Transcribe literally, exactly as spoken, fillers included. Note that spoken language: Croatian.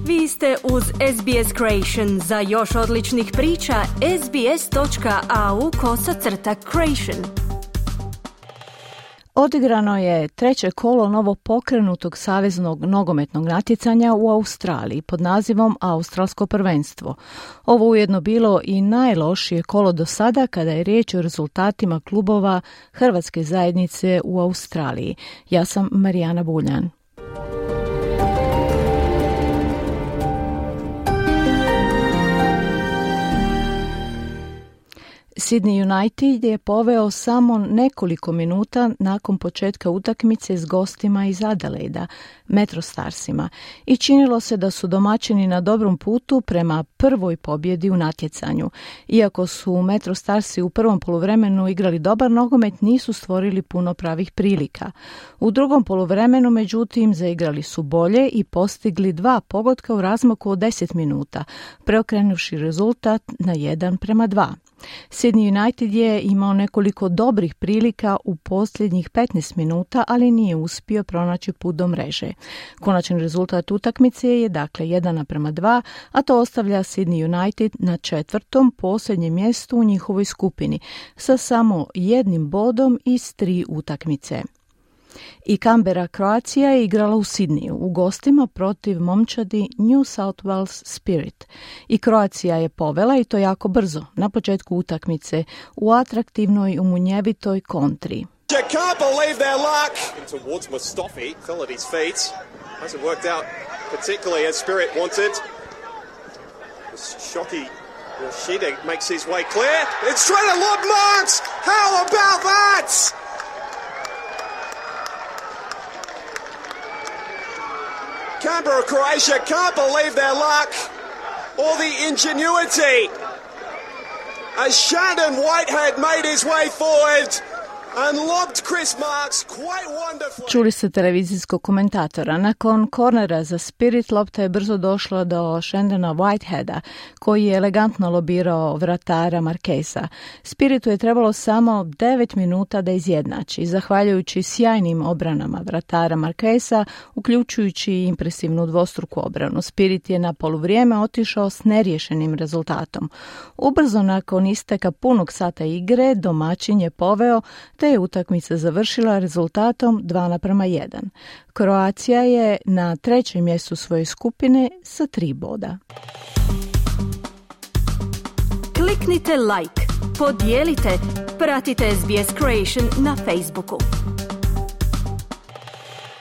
Vi ste uz S B S Creation. Za još odličnih priča, sbs.au kosacrta creation. Odigrano je treće kolo novopokrenutog saveznog nogometnog natjecanja u Australiji pod nazivom Australsko prvenstvo. Ovo ujedno bilo i najlošije kolo do sada kada je riječ o rezultatima klubova hrvatske zajednice u Australiji. Ja sam Marijana Buljan. Sydney United je poveo samo nekoliko minuta nakon početka utakmice s gostima iz Adelaida, Metro Starsima, i činilo se da su domaćini na dobrom putu prema prvoj pobjedi u natjecanju. Iako su Metro Starsi u prvom poluvremenu igrali dobar nogomet, nisu stvorili puno pravih prilika. U drugom poluvremenu, međutim, zaigrali su bolje i postigli dva pogotka u razmaku od deset minuta, preokrenuvši rezultat na jedan prema dva. Sydney United je imao nekoliko dobrih prilika u posljednjih petnaest minuta, ali nije uspio pronaći put do mreže. Konačni rezultat utakmice je dakle jedan naprema dva, a to ostavlja Sydney United na četvrtom posljednjem mjestu u njihovoj skupini, sa samo jednim bodom iz tri utakmice. I Canberra Croatia je igrala u Sidniju u gostima protiv momčadi New South Wales Spirit. I Croatia je povela, i to jako brzo, na početku utakmice u atraktivnoj umunjevitoj kontri. Can't believe their luck. Towards Mustafi, fell at his feet. Hasn't worked out particularly as Spirit wanted. Shocky Yoshida makes his way clear. It's trying to lob Marks. How about that? Canberra, Croatia can't believe their luck or the ingenuity as Shandon Whitehead made his way forward and lobbed Chris Marks quite wonderfully. Čuli ste televizijskog komentatora. Nakon kornera za Spirit, lopta je brzo došla do Shandona Whiteheada, koji je elegantno lobirao vratara Marquesa. Spiritu je trebalo samo devet minuta da izjednači, zahvaljujući sjajnim obranama vratara Marquesa, uključujući i impresivnu dvostruku obranu. Spirit je na poluvrijeme otišao s neriješenim rezultatom. Ubrzo nakon isteka punog sata igre, domaćin je poveo, te je utakmica završila rezultatom dva naprema jedan. Kroacija je na trećem mjestu svoje skupine sa tri boda. Kliknite like, podijelite, pratite S B S Creation na Facebooku.